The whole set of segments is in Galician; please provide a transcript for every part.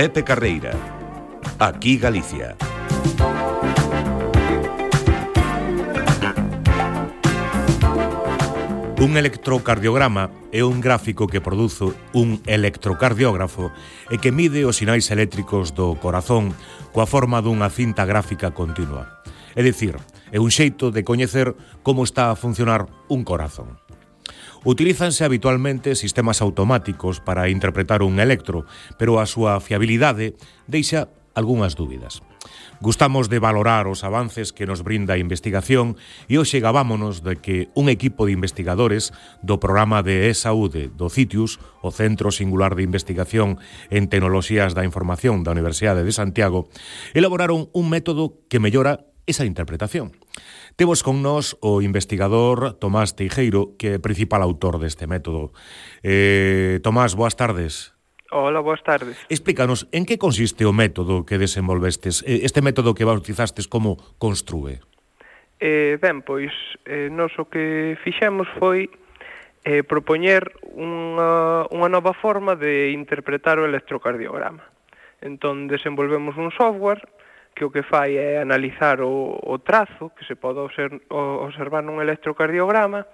Pepe Carreira. Aquí Galicia. Un electrocardiograma é un gráfico que produce un electrocardiógrafo e que mide os sinais eléctricos do corazón coa forma dunha cinta gráfica continua. É dicir, é un xeito de coñecer como está a funcionar un corazón. Utilízanse habitualmente sistemas automáticos para interpretar un electro, pero a súa fiabilidade deixa algunhas dúbidas. Gustamos de valorar os avances que nos brinda a investigación e hoxe gabámonos de que un equipo de investigadores do programa de e-saúde do CITIUS, o Centro Singular de Investigación en Tecnoloxías da Información da Universidade de Santiago, elaboraron un método que mellora esa interpretación. Temos con nós o investigador Tomás Teijeiro, que é principal autor deste método. Tomás, boas tardes. Hola, boas tardes. Explícanos, en que consiste o método que desenvolvestes? Este método que bautizastes como Construe? Ben, pois, nós o que fixemos foi propoñer unha nova forma de interpretar o electrocardiograma. Entón, desenvolvemos un software que o que fai é analizar o trazo que se pode observar nun electrocardiograma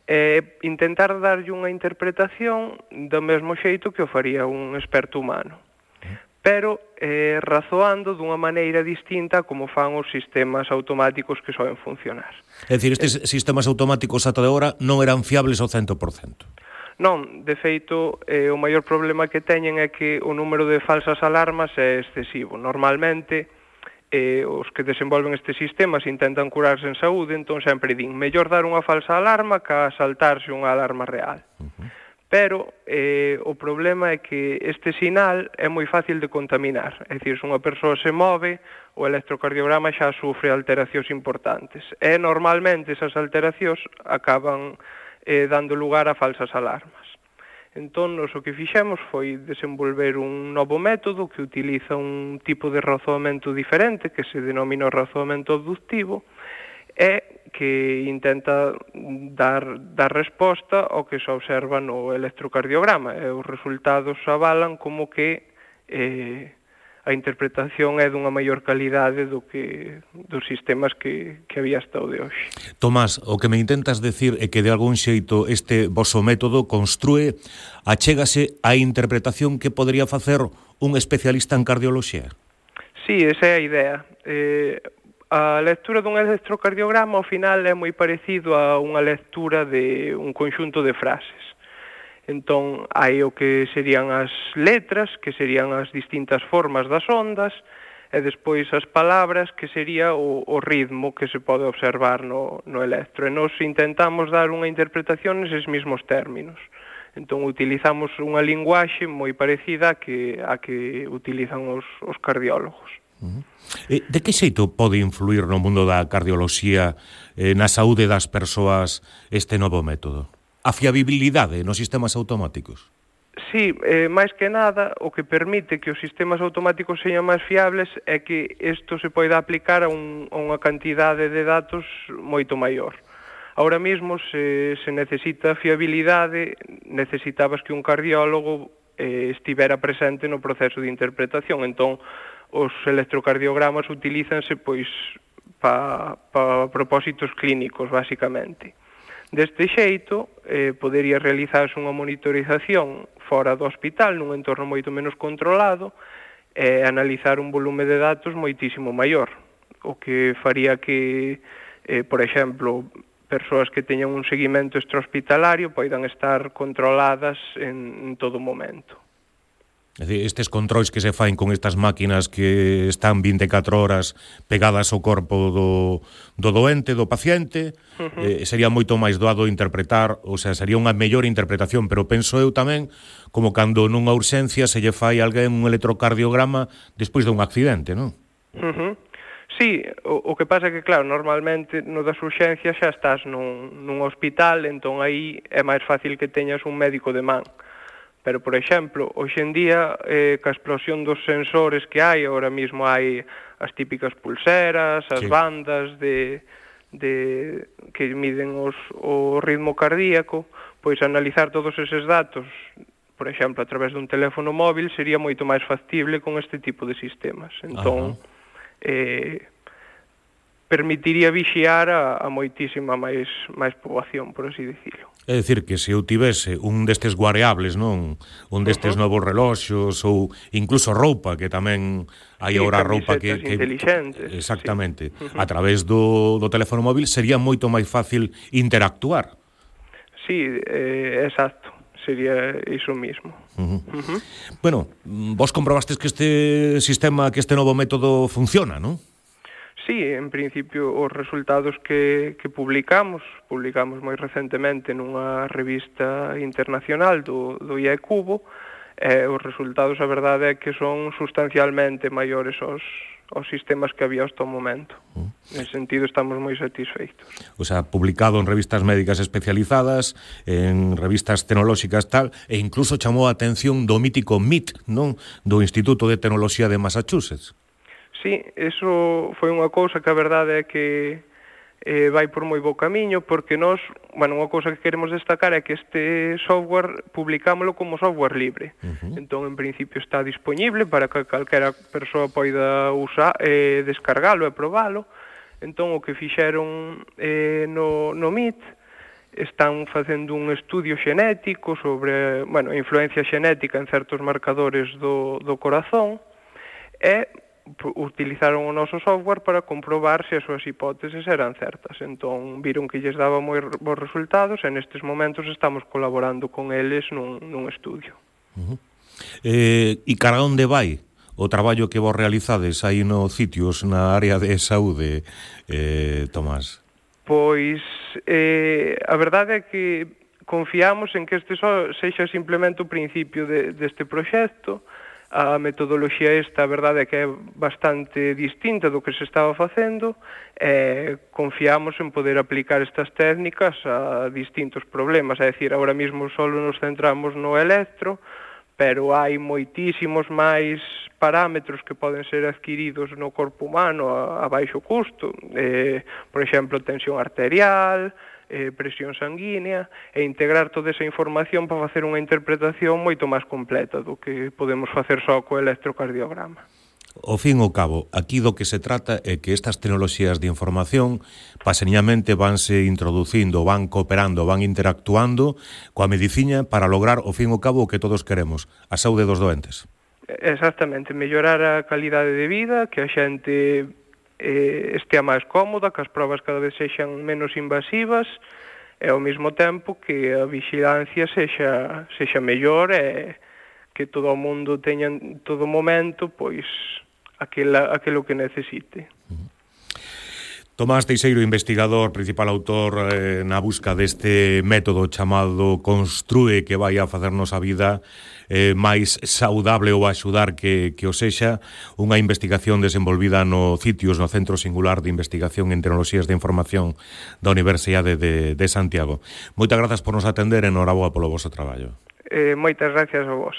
e intentar darlle unha interpretación do mesmo xeito que o faría un experto humano, pero razoando dunha maneira distinta como fan os sistemas automáticos que soen funcionar. É dicir, estes sistemas automáticos ata de agora non eran fiables ao 100%. Non, de feito, o maior problema que teñen é que o número de falsas alarmas é excesivo. Normalmente, os que desenvolven estes sistemas intentan curarse en saúde, entón sempre din mellor dar unha falsa alarma que a saltarse unha alarma real. Pero o problema é que este sinal é moi fácil de contaminar. É dicir, se unha persoa se move, o electrocardiograma xa sufre alteracións importantes. E normalmente esas alteracións acaban dando lugar a falsas alarmas. Entón, o que fixemos foi desenvolver un novo método que utiliza un tipo de razoamento diferente, que se denomina o razoamento abductivo, e que intenta dar resposta ao que se observa no electrocardiograma. E os resultados avalan como que a interpretación é dunha maior calidade dos sistemas que había hasta o de hoxe. Tomás, o que me intentas decir é que de algún xeito este voso método Construe achégase á interpretación que podría facer un especialista en cardioloxía? Sí, esa é a idea. A lectura dun electrocardiograma ao final é moi parecido a unha lectura de un conxunto de frases. Entón, hai o que serían as letras, que serían as distintas formas das ondas, e despois as palabras, que sería o ritmo que se pode observar no electro. E nos intentamos dar unha interpretación neses mesmos términos. Entón, utilizamos unha linguaxe moi parecida a que utilizan os cardiólogos. De que xeito pode influir no mundo da cardioloxía, na saúde das persoas, este novo método? A fiabilidade nos sistemas automáticos? Sí, máis que nada, o que permite que os sistemas automáticos sean máis fiables é que isto se poida aplicar a unha cantidade de datos moito maior. Ahora mesmo, se necesita fiabilidade, necesitabas que un cardiólogo estivera presente no proceso de interpretación. Entón, os electrocardiogramas utilízanse pois para propósitos clínicos, basicamente. Deste xeito, podería realizarse unha monitorización fora do hospital, nun entorno moito menos controlado, e analizar un volume de datos moitísimo maior, o que faría que, por exemplo, persoas que teñan un seguimento extrahospitalario poidan estar controladas en todo momento. É dicir, estes controis que se faen con estas máquinas que están 24 horas pegadas ao corpo do doente, do paciente, sería moito máis doado interpretar, ou sea, sería unha mellor interpretación, pero penso eu tamén como cando nunha urxencia se lle fai alguén un electrocardiograma despois dun accidente, non? Sí, o que pasa é que, claro, normalmente no das urxencias xa estás nun hospital, entón aí é máis fácil que teñas un médico de man. Pero, por exemplo, hoxe en día, ca explosión dos sensores que hai, ahora mesmo hai as típicas pulseras, as bandas que miden o ritmo cardíaco, pois analizar todos eses datos por exemplo, a través dun teléfono móvil sería moito máis factible con este tipo de sistemas. Entón, permitiría vixiar a moitísima máis poboación, por así dicilo. É dicir, que se eu tivese un destes guareables, non? Un destes novos reloxos ou incluso roupa, que tamén hai agora roupa que inteligentes. Exactamente. A través do teléfono móvil sería moito máis fácil interactuar. Sí, exacto. Sería iso mismo. Bueno, vos comprobastes que este sistema, que este novo método funciona, non? Sí, en principio os resultados que publicamos moi recentemente nunha revista internacional do IE Cubo, os resultados, a verdade é que son sustancialmente maiores aos sistemas que había hasta o momento. En sentido, estamos moi satisfeitos. O sea, publicado en revistas médicas especializadas, en revistas tecnolóxicas tal, e incluso chamou a atención do mítico MIT, non? Do Instituto de Tecnoloxía de Massachusetts. Sí, eso foi unha cousa que a verdade é que vai por moi bo camiño, porque nós, unha cousa que queremos destacar é que este software publicámoslo como software libre. Entón, en principio, está disponible para que calquera persoa poida usar, descargalo e probalo. Entón, o que fixeron no MIT, están facendo un estudio xenético sobre, a influencia xenética en certos marcadores do corazón, e utilizaron o noso software para comprobar se as súas hipóteses eran certas. Entón, viron que lles daba moi bons resultados e nestes momentos estamos colaborando con eles nun estudio. E cara onde vai o traballo que vos realizades aí no Citius, na área de saúde, Tomás? Pois, a verdade é que confiamos en que este sexa simplemente o principio deste proxecto. A metodoloxía esta, a verdade é que é bastante distinta do que se estaba facendo, e confiamos en poder aplicar estas técnicas a distintos problemas, é dicir, agora mesmo só nos centramos no electro, pero hai moitísimos máis parámetros que poden ser adquiridos no corpo humano a baixo custo, por exemplo, tensión arterial, presión sanguínea, e integrar toda esa información para facer unha interpretación moito máis completa do que podemos facer só co electrocardiograma. Ao fin e ao cabo, aquí do que se trata é que estas tecnoloxías de información paseñamente vanse introducindo, van cooperando, van interactuando coa medicina para lograr, ao fin e ao cabo, o que todos queremos, a saúde dos doentes. Exactamente, mellorar a calidade de vida, que a xente estea máis cómoda, que as probas cada vez sexan menos invasivas, e ao mesmo tempo que a vigilancia sexa mellor, e que todo o mundo teña en todo momento pois aquilo que necesite. Tomás Teixeiro, investigador, principal autor na busca deste método chamado Construe, que vai a facernos a vida máis saudable ou axudar que o sexa, unha investigación desenvolvida no Citius, no Centro Singular de Investigación en Tecnoloxías de Información da Universidade de Santiago. Moitas grazas por nos atender e enhoraboa polo vosso traballo. Moitas gracias a vos.